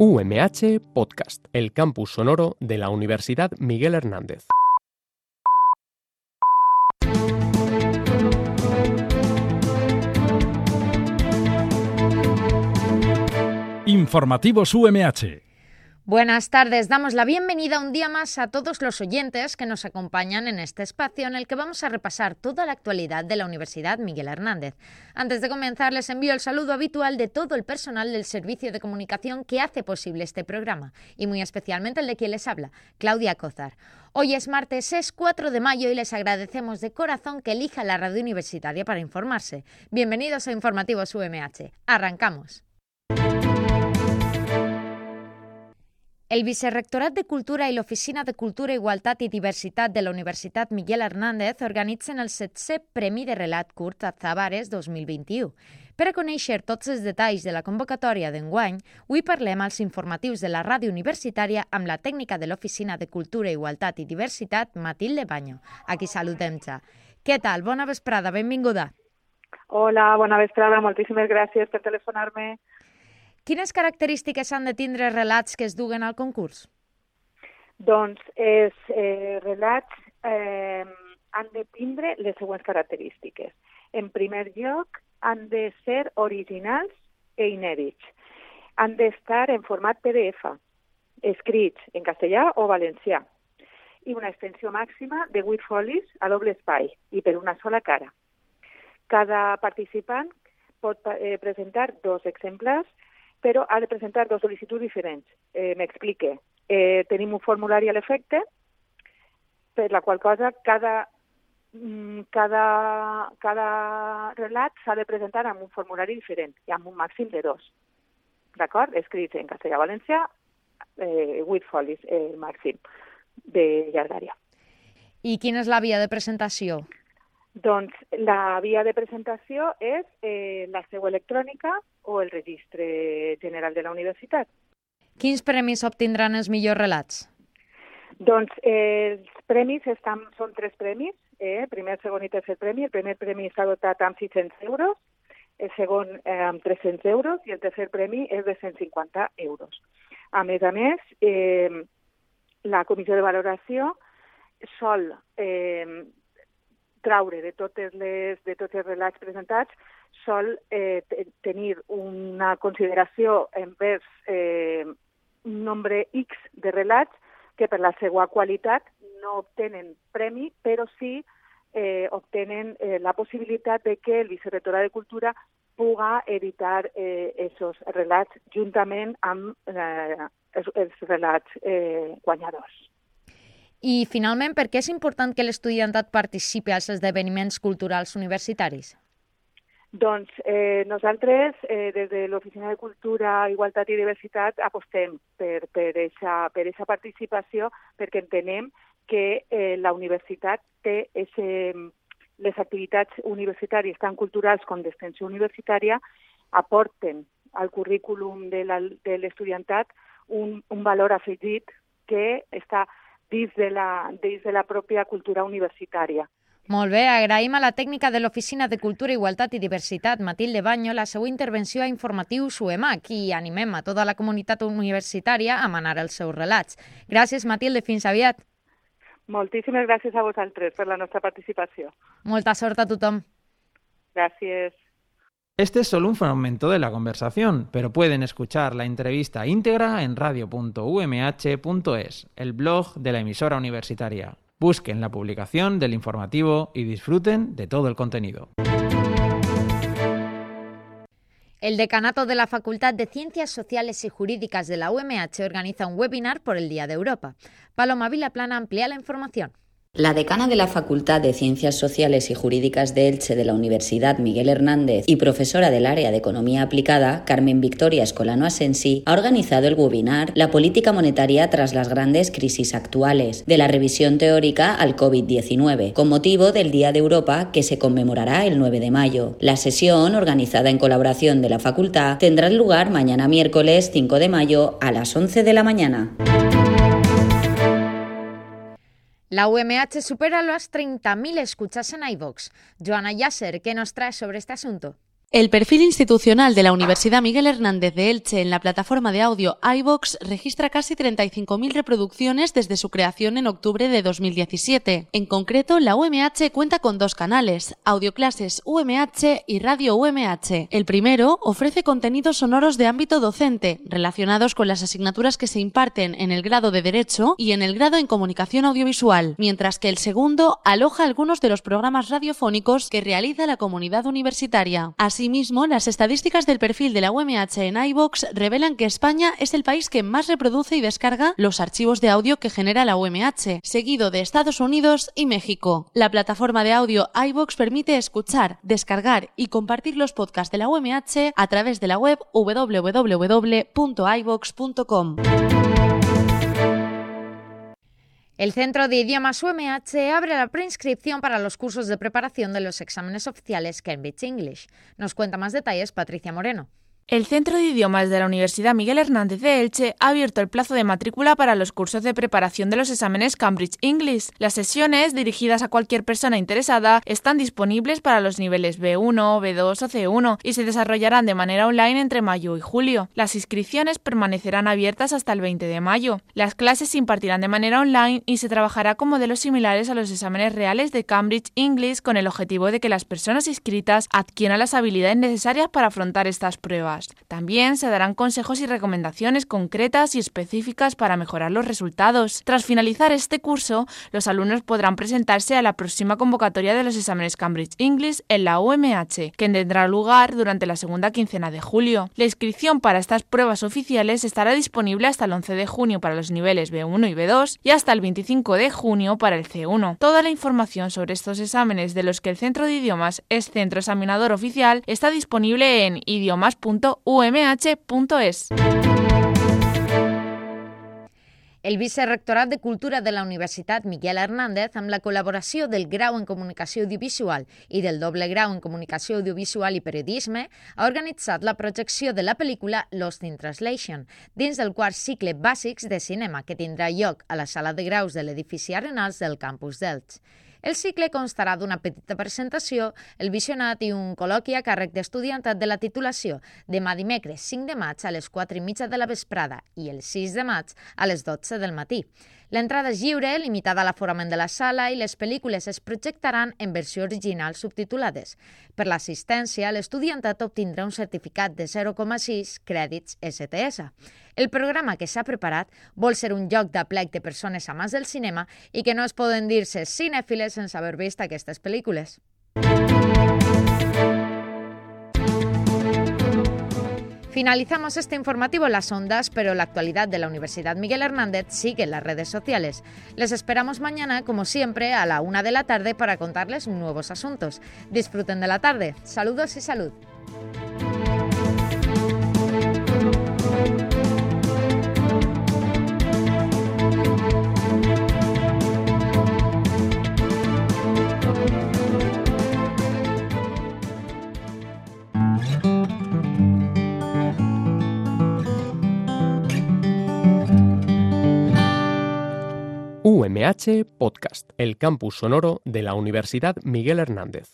UMH Podcast, el campus sonoro de la Universidad Miguel Hernández. Informativos UMH. Buenas tardes, damos la bienvenida un día más a todos los oyentes que nos acompañan en este espacio en el que vamos a repasar toda la actualidad de la Universidad Miguel Hernández. Antes de comenzar, les envío el saludo habitual de todo el personal del servicio de comunicación que hace posible este programa, y muy especialmente el de quien les habla, Claudia Cózar. Hoy es martes, es 4 de mayo y les agradecemos de corazón que elijan la radio universitaria para informarse. Bienvenidos a Informativos UMH. Arrancamos. El Vicerrectorat de Cultura i l'Oficina de Cultura, Igualtat i Diversitat de la Universitat Miguel Hernández organitzen el 7è Premi de Relat Curt a Zavares 2021. Per a conèixer tots els detalls de la convocatòria d'enguany, avui parlem als informatius de la ràdio universitària amb la tècnica de l'Oficina de Cultura, Igualtat i Diversitat, Matilde Baño. Aquí saludem ja. Què tal? Bona vesprada, benvinguda. Hola, bona vesprada, moltíssimes gràcies per telefonar-me. Quines característiques han de tindre els relats que es duguen al concurs? Doncs els relats han de tindre les següents característiques. En primer lloc, han de ser originals e inèdits. Han d'estar en format PDF, escrits en castellà o valencià, i una extensió màxima de 8 folis a doble espai i per una sola cara. Cada participant pot presentar 2 exemplars, però ha de presentar 2 sol·licituds diferents. M'explique. Tenim un formulari a l'efecte, per la qual cosa cada relat s'ha de presentar amb un formulari diferent i amb un màxim de 2. D'acord? Escrits en castellà-valencià, 8 folis màxim de llargària. I quina és la via de presentació? Doncs la via de presentació és la seu electrònica o el registre general de la universitat. Quins premis obtindran els millors relats? Doncs els premis són 3 premis, primer, segon i tercer premi. El primer premi està dotat amb 600 euros, el segon amb 300 euros i el tercer premi és de 150 euros. A més, la comissió de valoració sol traure de tots els relats presentats, sol tenir una consideració envers un nombre X de relats que per la seva qualitat no obtenen premi, però sí obtenen la possibilitat de que el Vicerrectorat de Cultura puga editar aquests relats juntament amb els relats guanyadors. I, finalment, per què és important que l'estudiantat participi als esdeveniments culturals universitaris? Doncs nosaltres, des de l'Oficina de Cultura, Igualtat i Diversitat, apostem per aquesta participació perquè entenem que la universitat té les activitats universitàries, tant culturals com d'extensió universitària, aporten al currículum de l'estudiantat un valor afegit que està dins de la pròpia cultura universitària. Molt bé, agraïm a la tècnica de l'Oficina de Cultura, Igualtat i Diversitat, Matilde Baño, la seva intervenció a Informatius UMH i animem a tota la comunitat universitària a manar els seus relats. Gràcies, Matilde, fins aviat. Moltíssimes gràcies a vosaltres per la nostra participació. Molta sort a tothom. Gracias. Este es solo un fragmento de la conversación, pero pueden escuchar la entrevista íntegra en radio.umh.es, el blog de la emisora universitaria. Busquen la publicación del informativo y disfruten de todo el contenido. El Decanato de la Facultad de Ciencias Sociales y Jurídicas de la UMH organiza un webinar por el Día de Europa. Paloma Vilaplana amplía la información. La decana de la Facultad de Ciencias Sociales y Jurídicas de Elche de la Universidad Miguel Hernández y profesora del área de Economía Aplicada, Carmen Victoria Escolano Asensi, ha organizado el webinar La política monetaria tras las grandes crisis actuales, de la revisión teórica al COVID-19, con motivo del Día de Europa que se conmemorará el 9 de mayo. La sesión, organizada en colaboración de la Facultad, tendrá lugar mañana miércoles 5 de mayo a las 11 de la mañana. La UMH supera las 30.000 escuchas en iVoox. Joana Yasser, ¿qué nos trae sobre este asunto? El perfil institucional de la Universidad Miguel Hernández de Elche en la plataforma de audio iVoox registra casi 35.000 reproducciones desde su creación en octubre de 2017. En concreto, la UMH cuenta con 2 canales, Audioclases UMH y Radio UMH. El primero ofrece contenidos sonoros de ámbito docente, relacionados con las asignaturas que se imparten en el grado de Derecho y en el grado en Comunicación Audiovisual, mientras que el segundo aloja algunos de los programas radiofónicos que realiza la comunidad universitaria. Asimismo, las estadísticas del perfil de la UMH en iVoox revelan que España es el país que más reproduce y descarga los archivos de audio que genera la UMH, seguido de Estados Unidos y México. La plataforma de audio iVoox permite escuchar, descargar y compartir los podcasts de la UMH a través de la web www.ivox.com. El Centro de Idiomas UMH abre la preinscripción para los cursos de preparación de los exámenes oficiales Cambridge English. Nos cuenta más detalles Patricia Moreno. El Centro de Idiomas de la Universidad Miguel Hernández de Elche ha abierto el plazo de matrícula para los cursos de preparación de los exámenes Cambridge English. Las sesiones, dirigidas a cualquier persona interesada, están disponibles para los niveles B1, B2 o C1 y se desarrollarán de manera online entre mayo y julio. Las inscripciones permanecerán abiertas hasta el 20 de mayo. Las clases se impartirán de manera online y se trabajará con modelos similares a los exámenes reales de Cambridge English con el objetivo de que las personas inscritas adquieran las habilidades necesarias para afrontar estas pruebas. También se darán consejos y recomendaciones concretas y específicas para mejorar los resultados. Tras finalizar este curso, los alumnos podrán presentarse a la próxima convocatoria de los exámenes Cambridge English en la UMH, que tendrá lugar durante la segunda quincena de julio. La inscripción para estas pruebas oficiales estará disponible hasta el 11 de junio para los niveles B1 y B2 y hasta el 25 de junio para el C1. Toda la información sobre estos exámenes de los que el Centro de Idiomas es centro examinador oficial está disponible en idiomas.umh.es. El Vicerrectorat de Cultura de la Universitat Miguel Hernández, amb la col·laboració del Grau en Comunicació Audiovisual i del Doble Grau en Comunicació Audiovisual i Periodisme, ha organitzat la projecció de la pel·lícula Lost in Translation, dins del quart cicle Bàsics de Cinema, que tindrà lloc a la sala de graus de l'edifici Arenals del campus d'Elx. El cicle constarà d'una petita presentació, el visionat i un col·loqui a càrrec d'estudiantat de la titulació demà dimecres 5 de maig a les 4:30 de la vesprada i el 6 de maig a les 12 del matí. L'entrada és lliure, limitada a l'aforament de la sala i les pel·lícules es projectaran en versió original subtitulades. Per l'assistència, l'estudiantat obtindrà un certificat de 0,6 crèdits STS. El programa que s'ha preparat vol ser un lloc d'aplec de persones amants del cinema i que no es poden dir-se cinèfiles sense haver vist aquestes pel·lícules. Finalizamos este informativo en las ondas, pero la actualidad de la Universidad Miguel Hernández sigue en las redes sociales. Les esperamos mañana, como siempre, a la 1 de la tarde para contarles nuevos asuntos. Disfruten de la tarde. Saludos y salud. UMH Podcast, el campus sonoro de la Universidad Miguel Hernández.